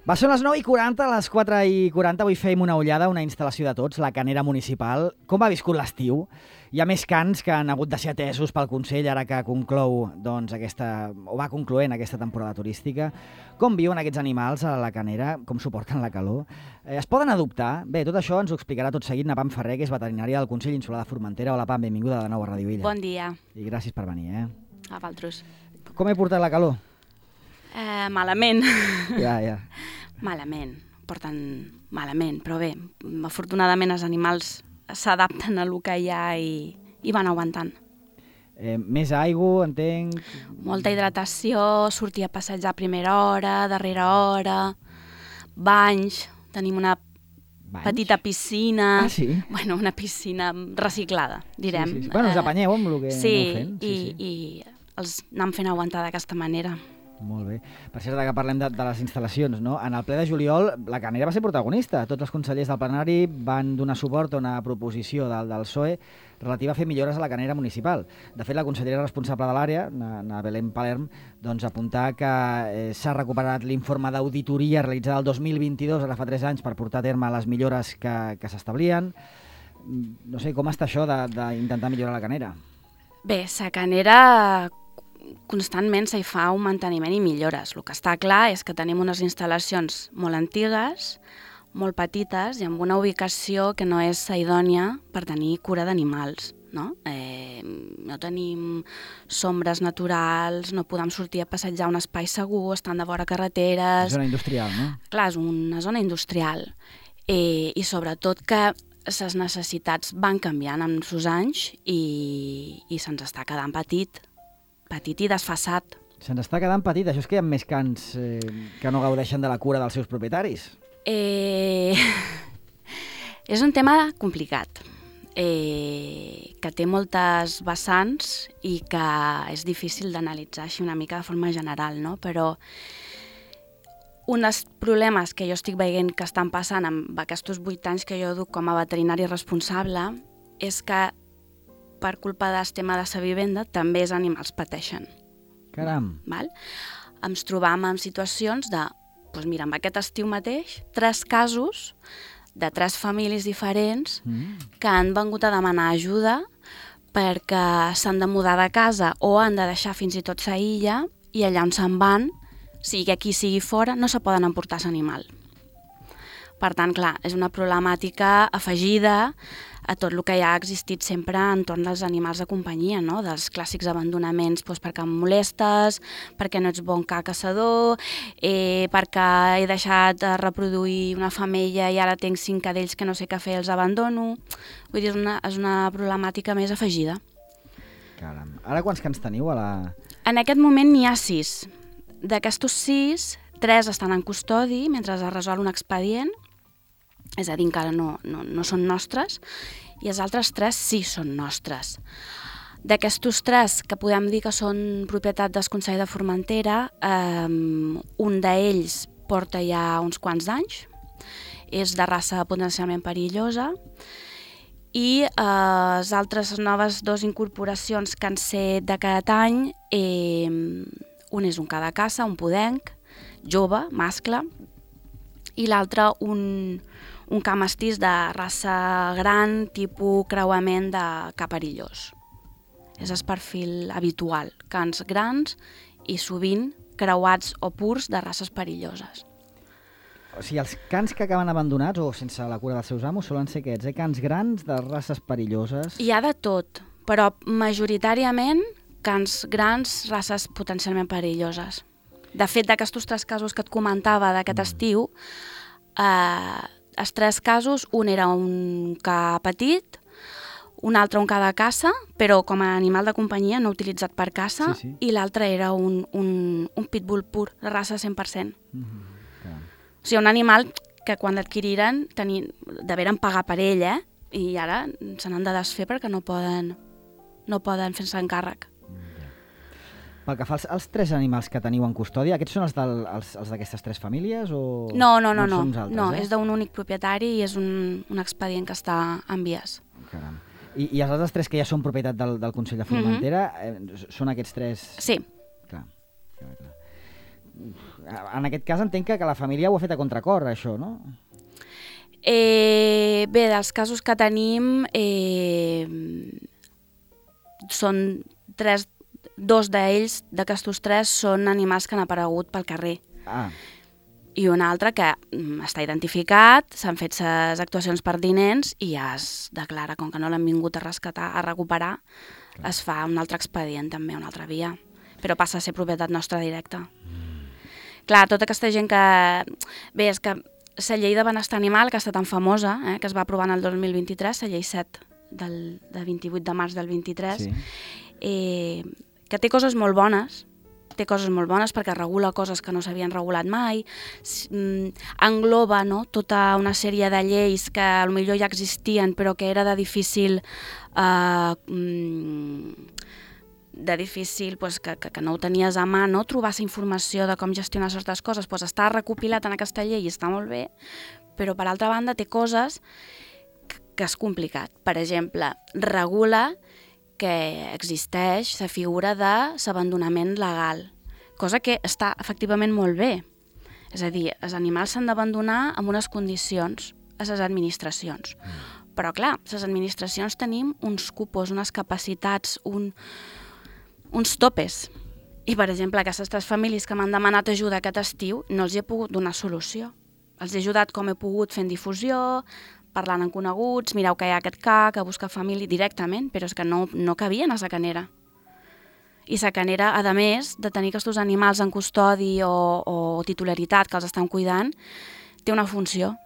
Va, són les 9:40, a les 4:40. Avui fèiem una ullada a una instal·lació de tots, la Canera Municipal. Com ha viscut l'estiu? Hi ha més cants que han hagut de ser atesos pel Consell ara que conclou, doncs, va concloent aquesta temporada turística. Com viuen aquests animals a la Canera? Com suporten la calor? Es poden adoptar? Bé, tot això ens ho explicarà tot seguit Napam Ferrer, que és veterinària del Consell Insular de Formentera. Hola, Pam, benvinguda de nou a Ràdio Illa. Bon dia. I gràcies per venir, A vosaltres. Com he portat la calor? Malament. Ja. Malament. Porten malament, però bé, afortunadament els animals s'adapten a lo que hi ha i van aguantant. Més aigua, entenc... Molta hidratació, sortir a passejar a primera hora, darrera hora, banys, tenim una petita piscina. Ah, sí? Bueno, una piscina reciclada, direm. Sí. Bueno, us apanyeu amb el que aneu fent. I els anem fent aguantar d'aquesta manera. Molt bé. Per cert, que parlem de les instal·lacions, no? En el ple de juliol, la Canera va ser protagonista. Tots els consellers del plenari van donar suport a una proposició del PSOE relativa a fer millores a la Canera Municipal. De fet, la consellera responsable de l'àrea, na Belén Palerm, doncs apuntar que s'ha recuperat l'informe d'auditoria realitzada el 2022, ara fa 3 anys, per portar a terme les millores que s'establien. No sé, com està això d'intentar millorar la Canera? Bé, la Canera constantment s'hi fa un manteniment i millores. El que està clar és que tenim unes instal·lacions molt antigues, molt petites i amb una ubicació que no és idònia per tenir cura d'animals. No tenim sombres naturals, no podem sortir a passejar a un espai segur, estan de vora carreteres... És zona industrial, no? Clar, és una zona industrial. I sobretot que les necessitats van canviant amb els anys i se'ns està quedant petit i desfassat. Se'ns està quedant petit. Això és que hi ha més cans que no gaudeixen de la cura dels seus propietaris? És un tema complicat, que té moltes vessants i que és difícil d'analitzar així una mica de forma general, no? Però un dels problemes que jo estic veient que estan passant amb aquests 8 anys que jo duc com a veterinari responsable és que per culpa del tema de la vivenda, també els animals pateixen. Caram! Val? Ens trobam en situacions de, doncs mira, amb aquest estiu mateix, 3 casos de 3 famílies diferents que han vingut a demanar ajuda perquè s'han de mudar de casa o han de deixar fins i tot sa illa i allà on se'n van, sigui aquí, sigui fora, no se poden emportar l'animal. Per tant, clar, és una problemàtica afegida a tot el que ja ha existit sempre entorn dels animals de companyia, no? Dels clàssics abandonaments perquè em molestes, perquè no ets bon caçador, perquè he deixat de reproduir una femella i ara tinc 5 cadells que no sé què fer, els abandono. Vull dir, és una problemàtica més afegida. Caram. Ara quants cans teniu a la... En aquest moment n'hi ha 6. D'aquestos 6, 3 estan en custodi mentre es resol un expedient, és a dir, encara no són nostres, i els altres 3 sí són nostres. D'aquestos 3, que podem dir que són propietat del Consell de Formentera, un d'ells porta ja uns quants d'anys, és de raça potencialment perillosa, i les altres noves 2 incorporacions que han set d'aquest any, un és un ca de caça, un podenc, jove, mascle, i l'altre un ca mestís de raça gran, tipus creuament de ca perillós. És el perfil habitual, cans grans i sovint creuats o purs de races perilloses. O sigui, els cans que acaben abandonats o sense la cura dels seus amos solen ser aquests, cans grans de races perilloses? Hi ha de tot, però majoritàriament cans grans, races potencialment perilloses. De fet, d'aquests 3 casos que et comentava d'aquest estiu, els 3 casos, un era un ca petit, un altre un ca de caça, però com a animal de companyia, no utilitzat per caça, sí. I l'altre era un pitbull pur, de raça 100%. O sigui, un animal que quan l'adquiriren deveren pagar per ell, i ara se n'han de desfer perquè no poden fer-se encàrrec. Pel que fa als 3 animals que teniu en custòdia, aquests són els d'aquestes 3 famílies o... No, són uns altres, és d'un únic propietari i és un expedient que està en vies. Caram. I els altres 3 que ja són propietat del Consell de Formentera, són aquests 3? Sí. Clar. en aquest cas entenc que la família ho ha fet a contracor, això, no? Bé, dels casos que tenim, són dos d'ells, d'aquestos 3, són animals que han aparegut pel carrer. I un altre que està identificat, s'han fet les actuacions pertinents i ja es declara, com que no l'han vingut a rescatar, a recuperar, es fa un altre expedient també, una altra via, però passa a ser propietat nostra directa. Clar, tota aquesta gent que... Bé, és que la llei de benestar animal, que està tan famosa, que es va aprovar en el 2023, la llei 7 del 28 de març del 23, que té coses molt bones, perquè regula coses que no s'havien regulat mai, engloba tota una sèrie de lleis que potser ja existien però que era de difícil que no ho tenies a mà, trobar la informació de com gestionar certes coses, està recopilat en aquesta llei i està molt bé, però per altra banda té coses que és complicat. Per exemple, regula que existeix la figura de l'abandonament legal, cosa que està efectivament molt bé. És a dir, els animals s'han d'abandonar amb unes condicions a les administracions. Però clar, les administracions tenim uns cupos, unes capacitats, uns topes. I per exemple, aquestes 3 famílies que m'han demanat ajuda aquest estiu no els he pogut donar solució. Els he ajudat com he pogut fent difusió, parlant amb coneguts, mireu que hi ha aquest que busca família directament, però és que no cabien a la canera. I la canera, a més de tenir aquests animals en custodi o titularitat que els estan cuidant, té una funció,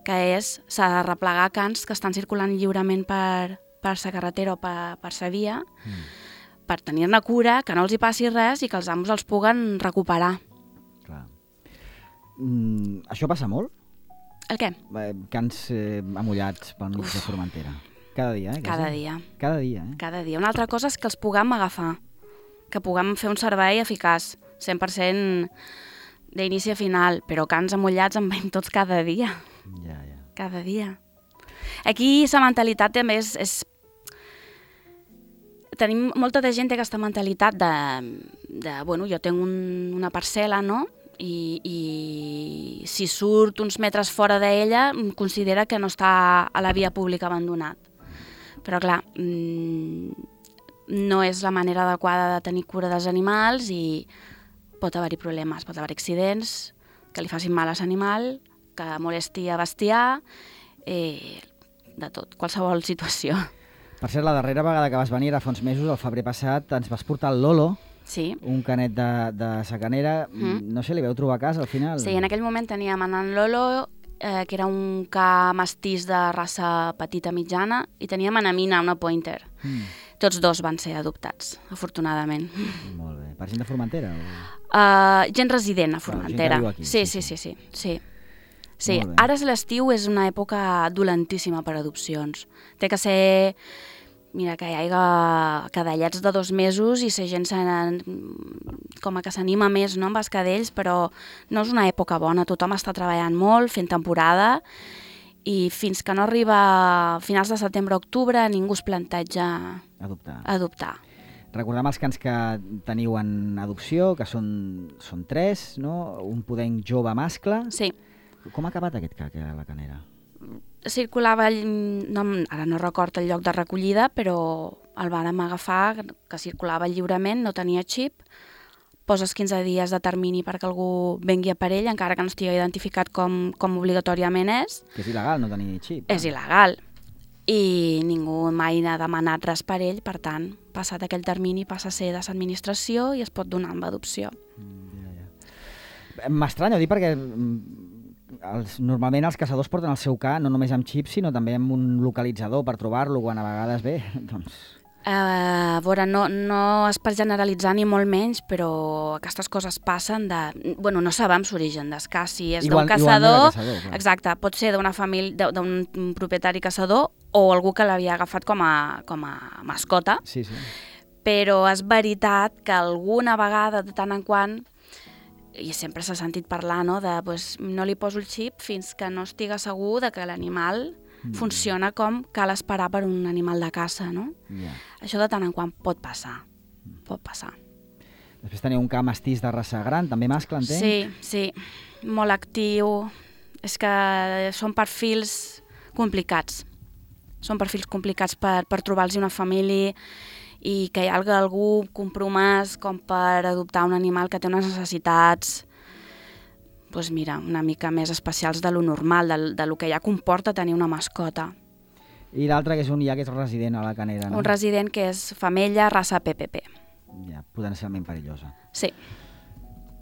que és s'ha de replegar cans que estan circulant lliurement per la carretera o per la via, per tenir-ne cura, que no els hi passi res i que els amos els puguen recuperar. Clar. Això passa molt? El què? Cans amullats pel mig de Formentera. Cada dia, Cada dia. Cada dia, Cada dia. Una altra cosa és que els puguem agafar, que puguem fer un servei eficaç, 100% d'inici a final, però cans amullats en veiem tots cada dia. Ja. Cada dia. Aquí la mentalitat també és... Tenim molta de gent té aquesta mentalitat bueno, jo tinc una parcel·la, no?, i si surt uns metres fora d'ella considera que no està a la via pública abandonat. Però clar, no és la manera adequada de tenir cura dels animals i pot haver-hi problemes, pot haver-hi accidents, que li facin mal a l'animal, que molesti a bestiar, de tot, qualsevol situació. Per cert, la darrera vegada que vas venir, fa uns mesos, el febrer passat, ens vas portar el Lolo, un canet de sacanera. No sé, li vau trobar a casa al final? Sí, en aquell moment teníem en Lolo, que era un ca mestís de raça petita mitjana, i teníem en Amina, una pointer. Tots 2 van ser adoptats, afortunadament. Molt bé. Per gent de Formentera? Gent resident a Formentera. Gent que viu aquí. Sí. Ara l'estiu és una època dolentíssima per adopcions. Té que ser... Mira, que hi ha cadellets de 2 mesos i la gent com que s'anima més, no, amb els cadells, però no és una època bona. Tothom està treballant molt, fent temporada, i fins que no arriba a finals de setembre-octubre ningú es planteja adoptar. Recordem els cans que teniu en adopció, que són 3, no? Un podenc jove mascle. Sí. Com ha acabat aquest ca, a la canera? Circulava, ara no recordo el lloc de recollida, però el vàrem agafar, que circulava lliurement, no tenia xip, poses 15 dies de termini perquè algú vengui a per ell, encara que no estigui identificat com obligatòriament és. Que és il·legal no tenir xip. És il·legal. I ningú mai n'ha demanat res per ell, per tant, passat aquell termini passa a ser de l'administració i es pot donar amb adopció. M'estranya, dic, perquè normalment els caçadors porten el seu ca no només amb xip, sinó també amb un localitzador per trobar-lo quan a vegades ve, doncs... A veure, no és per generalitzar ni molt menys, però aquestes coses passen de... Bueno, no sabem l'origen del ca, si és d'un caçador... Exacte, pot ser d'una família, d'un propietari caçador o algú que l'havia agafat com a mascota. Sí. Però és veritat que alguna vegada, de tant en quant, i sempre s'ha sentit parlar, no, de no li poso el xip fins que no estiga segur de que l'animal funciona com cal esperar per un animal de caça, no? Això de tant en quant pot passar. Després teniu un ca mestís de raça gran, també mascle, entenc? Sí, molt actiu. És que són perfils complicats. Són perfils complicats per trobar-los una família i que hi hagi algú compromès com per adoptar un animal que té unes necessitats doncs mira, una mica més especials de lo normal, de lo que ja comporta tenir una mascota. I l'altre que és un ja que és resident a la Canera, no? Un resident que és femella, raça PPP. Ja, potencialment perillosa. Sí.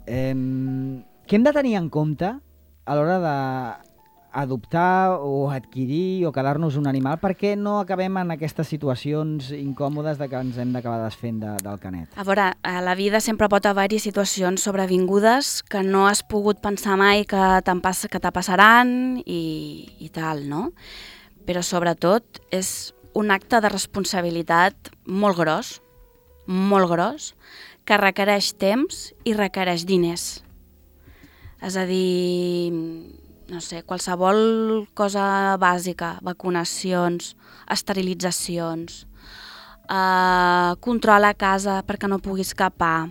Què hem de tenir en compte a l'hora d'adoptar o adquirir o quedar-nos un animal perquè no acabem en aquestes situacions incòmodes de que ens hem d'acabar desfent del canet? A veure, a la vida sempre pot haver-hi situacions sobrevingudes que no has pogut pensar mai que te passaran i tal, no? Però sobretot és un acte de responsabilitat molt gros, que requereix temps i requereix diners. És a dir, no sé, qualsevol cosa bàsica, vacunacions, esterilitzacions, control a casa perquè no puguis escapar,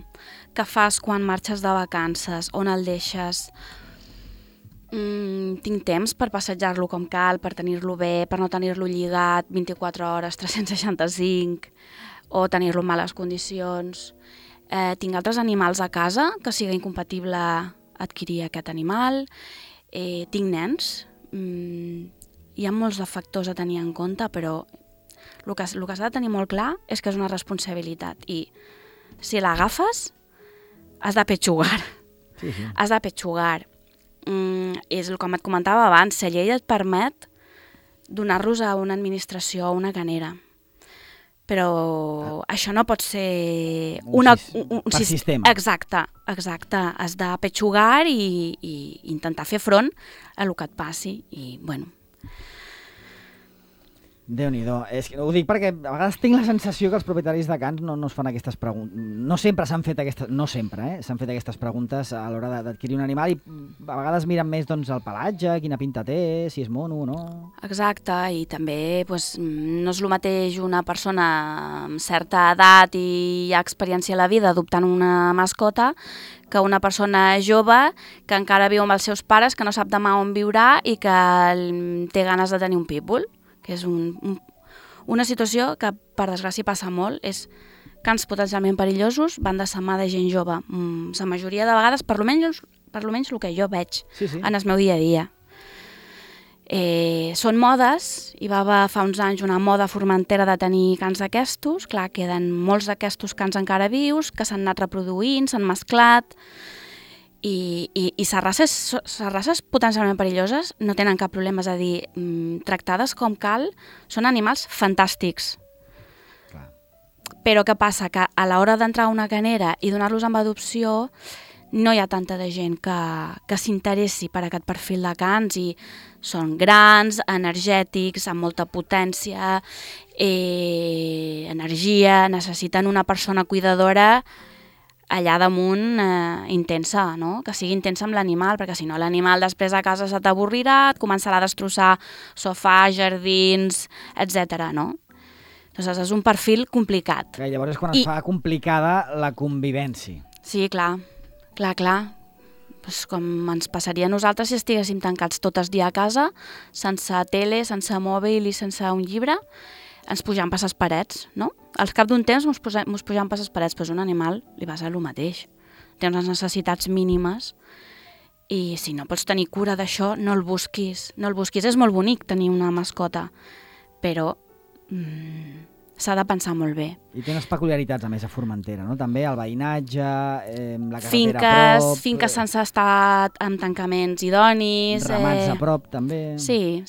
què fas quan marxes de vacances, on el deixes. Tinc temps per passejar-lo com cal, per tenir-lo bé, per no tenir-lo lligat 24 hores, 365, o tenir-lo en males condicions. Tinc altres animals a casa que sigui incompatible adquirir aquest animal. Tinc nens. Hi ha molts de factors a tenir en compte, però el que s'ha de tenir molt clar és que és una responsabilitat i si l'agafes has de petxugar. Sí. Has de petxugar. És com et comentava abans, la llei et permet donar-los a una administració o una canera. Però això no pot ser un sistema. Exacte. Has de petxugar i intentar fer front a el que et passi. I, bueno... Déu-n'hi-do. Ho dic perquè a vegades tinc la sensació que els propietaris de cans no es fan aquestes preguntes. No sempre s'han fet aquestes... No sempre, s'han fet aquestes preguntes a l'hora d'adquirir un animal i a vegades miren més doncs, el pelatge, quina pinta té, si és mono o no... Exacte, i també no és el mateix una persona amb certa edat i hi ha experiència a la vida adoptant una mascota que una persona jove que encara viu amb els seus pares, que no sap demà on viurà i que té ganes de tenir un pitbull. Que és una situació que, per desgràcia, passa molt, és cans potencialment perillosos van de la mà de gent jove. La majoria de vegades, per almenys el que jo veig en el meu dia a dia. Són modes, hi va haver fa uns anys una moda formentera de tenir cans d'aquestos, clar, queden molts d'aquestos cans encara vius, que s'han anat reproduint, s'han mesclat, i les races potencialment perilloses no tenen cap problema, és a dir, tractades com cal, són animals fantàstics. Clar. Però què passa? Que a l'hora d'entrar a una canera i donar-los amb adopció no hi ha tanta de gent que s'interessi per aquest perfil de cans i són grans, energètics, amb molta potència, energia, necessiten una persona cuidadora allà damunt intensa, no? Que sigui intensa amb l'animal, perquè si no l'animal després a casa se t'avorrirà, et començarà a destrossar sofà, jardins, etc. no? Doncs és un perfil complicat. Que llavors és quan es fa complicada la convivència. Sí, clar. Pues com ens passaria a nosaltres si estiguéssim tancats tot el dia a casa, sense tele, sense mòbil i sense un llibre, ens pujam per les parets, no? Al cap d'un temps ens pujam per les parets, però un animal li va ser el mateix. Té unes necessitats mínimes i si no pots tenir cura d'això, no el busquis. No el busquis. És molt bonic tenir una mascota, però s'ha de pensar molt bé. I té unes peculiaritats, a més, a Formentera, no? També el veïnatge, la carretera a prop... Finques sense estar amb tancaments idonis... Ramats a prop, també... Sí.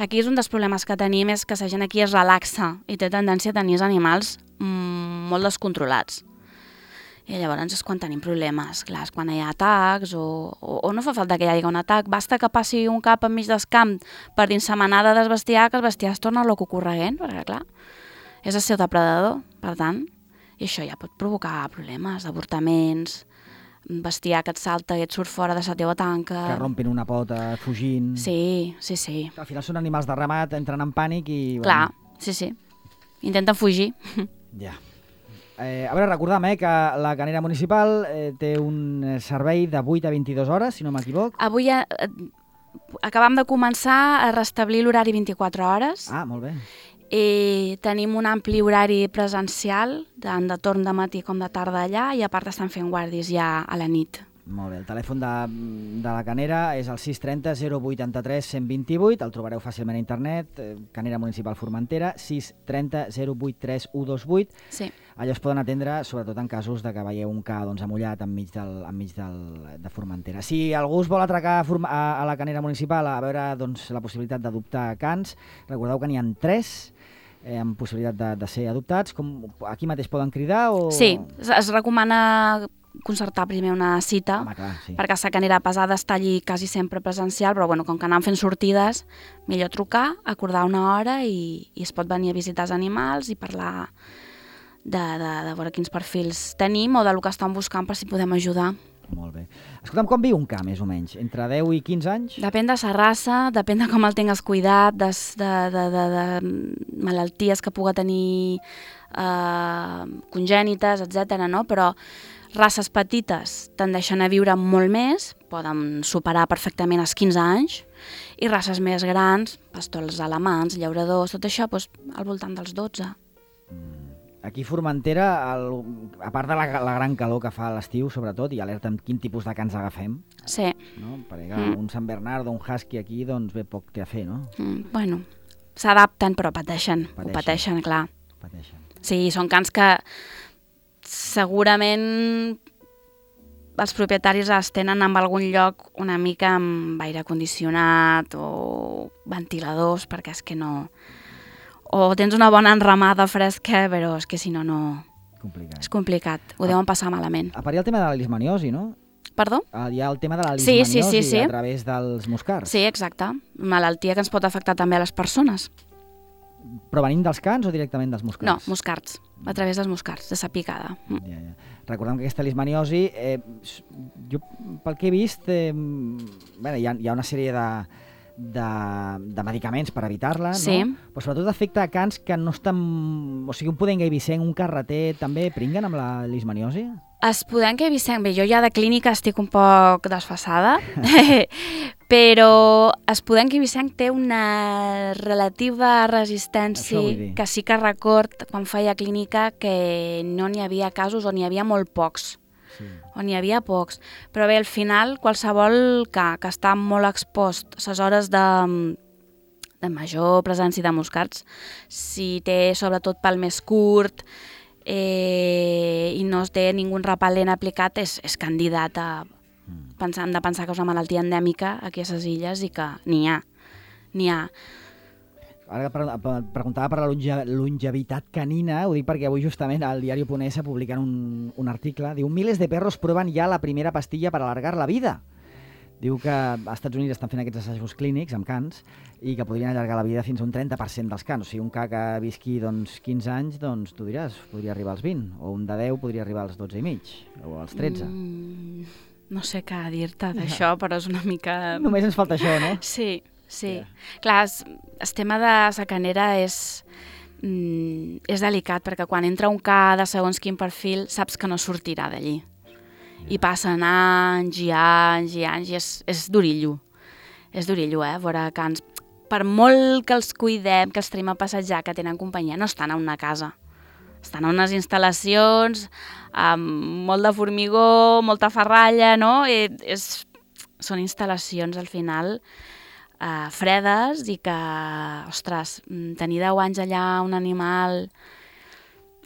Aquí és un dels problemes que tenim, és que la gent aquí es relaxa i té tendència a tenir els animals molt descontrolats. I llavors és quan tenim problemes. Clar, és quan hi ha atacs o no fa falta que hi hagi un atac. Basta que passi un cap enmig del camp per dins la manada del bestiar, que el bestiar es torna loco correguent, perquè clar, és el seu depredador, per tant. I això ja pot provocar problemes, avortaments, bestiar que et salta i et surt fora de la teva tanca. Que rompin una pota fugint. Sí. Al final són animals de ramat, entren en pànic i... Clar, sí. Intenten fugir. Ja. A veure, recordam que la Canera Municipal té un servei de 8 a 22 hores, si no m'equivoc. Avui acabam de començar a restablir l'horari 24 hores. Ah, molt bé. I tenim un ampli horari presencial, tant de torn de matí com de tarda allà, i a part estan fent guàrdies ja a la nit. Molt bé, el telèfon de la Canera és el 630 083 128, el trobareu fàcilment a internet, Canera Municipal Formentera, 630 083 128. Sí. Allò es poden atendre, sobretot en casos de que veieu un ca amullat enmig de Formentera. Si algú es vol atracar a la Canera Municipal a veure la possibilitat d'adoptar cans, recordeu que n'hi ha 3 amb possibilitat de ser adoptats. Aquí mateix poden cridar? Sí, es recomana concertar primer una cita, sí. Perquè la Canera Pesada està allí quasi sempre presencial, però com que anem fent sortides, millor trucar, acordar una hora i es pot venir a visitar els animals i parlar de veure quins perfils tenim o del que estan buscant per si podem ajudar. Molt bé. Escolta'm, com viu un ca, més o menys? Entre 10 i 15 anys? Depèn de la raça, depèn de com el tingues cuidat, de malalties que puga tenir congènites, etc. No? Però races petites tendeixen a viure molt més, poden superar perfectament els 15 anys, i races més grans, pastors alemans, llauradors, tot això, al voltant dels 12. Aquí a Formentera, a part de la gran calor que fa a l'estiu, sobretot, i alerta amb quin tipus de cans agafem. Sí. No? Perquè un Sant Bernard o un husky aquí, doncs bé poc té a fer, no? Bueno, s'adapten, però pateixen. Ho pateixen, clar. Sí, són cans que segurament els propietaris els tenen en algun lloc una mica amb aire condicionat o ventiladors, perquè és que no... O tens una bona enramada fresca, però és que si no, no... És complicat. Ho deuen passar malament. A part hi ha el tema de la leishmaniosi, no? Perdó? Hi ha el tema de la leishmaniosi sí. A través dels muscars. Sí, exacte. Malaltia que ens pot afectar també a les persones. Però venint dels cans o directament dels muscards? No, muscards. A través dels muscards, de sa picada. Ja. Recordem que aquesta leishmaniosi, jo pel que he vist, hi ha una sèrie de medicaments per evitar-la, sí. No? Però sobretot afecta a cans que no estan... O sigui, un pudenc eivissenc, un carreter, també pringuen amb la leishmaniosi? Es pudenc eivissenc, bé, jo ja de clínica estic un poc desfasada, però es pudenc eivissenc té una relativa resistència que sí que record quan feia clínica que no n'hi havia casos o n'hi havia molt pocs. Sí. On hi havia pocs. Però bé, al final, qualsevol que està molt expost a les hores de major presència de muscards, si té sobretot pèl més curt i no es té ningú repel·lent aplicat, és candidat a hem de pensar que és una malaltia endèmica aquí a les illes i que n'hi ha. Ara preguntava per la longevitat canina, ho dic perquè avui justament al diario.es publiquen un article, diu, miles de perros prueben ja la primera pastilla per alargar la vida. Diu que als Estats Units estan fent aquests assajos clínics amb cans i que podrien allargar la vida fins a un 30% dels cans. O sigui, un ca que visqui 15 anys, doncs tu diràs, podria arribar als 20, o un de 10 podria arribar als 12 i mig, o als 13. No sé què dir-te d'això, però és una mica... Només ens falta això, no? Sí. Sí, clar, el tema de la Canera és delicat, perquè quan entra un ca de segons quin perfil saps que no sortirà d'allí. I passen anys i anys i anys i és durillo. És durillo, veure cans. Per molt que els cuidem, que els traiem a passejar, que tenen companyia, no estan a una casa. Estan a unes instal·lacions amb molt de formigó, molta ferralla, no? Són instal·lacions, al final, fredes i que, ostres, tenir 10 anys allà un animal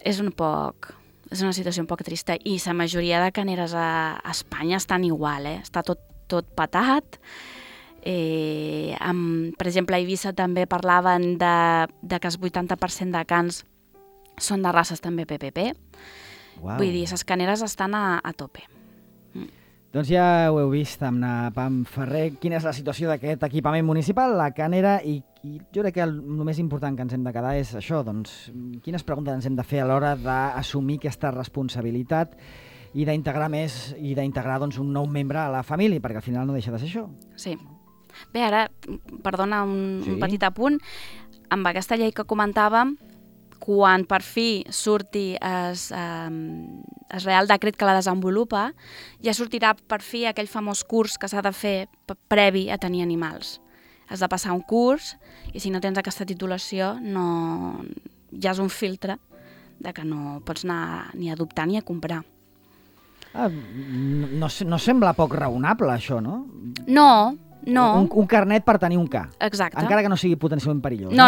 és una situació un poc trista, i la majoria de caneres a Espanya estan igual, està tot patat. Per exemple, a Eivissa també parlaven de que el 80% de cans són de races també PPP. Wow. Vull dir, les caneres estan a tope. Doncs ja ho heu vist amb na Pam Ferrer, quina és la situació d'aquest equipament municipal, la Canera, i jo crec que el més important que ens hem de quedar és això, doncs, quines preguntes ens hem de fer a l'hora d'assumir aquesta responsabilitat i d'integrar més i d'integrar doncs, un nou membre a la família, perquè al final no deixa de ser això. Sí. Bé, ara, perdona un petit apunt, amb aquesta llei que comentàvem, quan per fi surti el Real Decret que la desenvolupa, ja sortirà per fi aquell famós curs que s'ha de fer previ a tenir animals. Has de passar un curs i si no tens aquesta titulació ja és un filtre de que no pots anar ni a adoptar ni a comprar. No sembla poc raonable, això, no? No. Un carnet per tenir un ca. Exacte. Encara que no sigui potencialment perillós. No.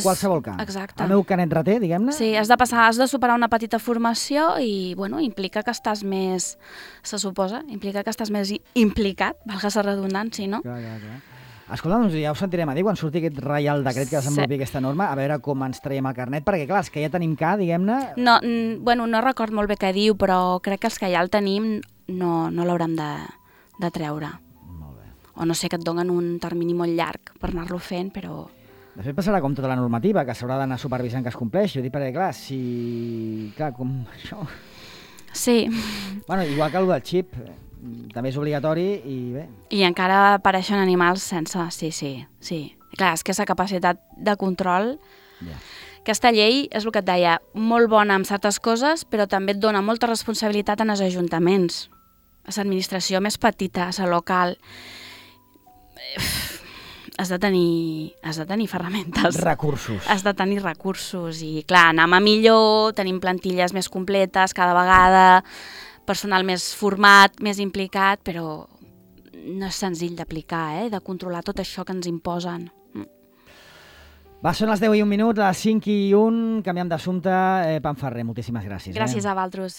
Qualsevol ca. Exacte. El meu canet rater, diguem-ne. Sí, has de superar una petita formació i, implica que estàs més, se suposa, implica que estàs més implicat, valga la redundància, no? Clar. Escolta, doncs ja ho sentirem a dir quan surti aquest Reial Decret que desenvolupi aquesta norma, a veure com ens traiem el carnet, perquè clar, els que ja tenim ca, diguem-ne... No record molt bé què diu, però crec que els que ja el tenim no l'haurem de treure. Molt bé. O no sé, que et donen un termini molt llarg per anar-lo fent, però... De fet, passarà com tota la normativa, que s'haurà d'anar supervisant que es compleixi. Ho dic perquè, clar, Clar, com això... Sí. Bueno, igual que el del xip... també és obligatori i bé... I encara apareixen animals sense... Sí. Clar, és que aquesta capacitat de control... Ja. Aquesta llei, és el que et deia, molt bona en certes coses, però també et dona molta responsabilitat en els ajuntaments, a l'administració més petita, a la local. Has de tenir ferramentes. Recursos. Has de tenir recursos i, clar, anem a millor, tenim plantilles més completes cada vegada, personal més format, més implicat, però no és senzill d'aplicar, de controlar tot això que ens imposen. Va, són les 10:01, les 5:01, canviem d'assumpte. Pam Ferrer, moltíssimes gràcies. Gràcies a vosaltres.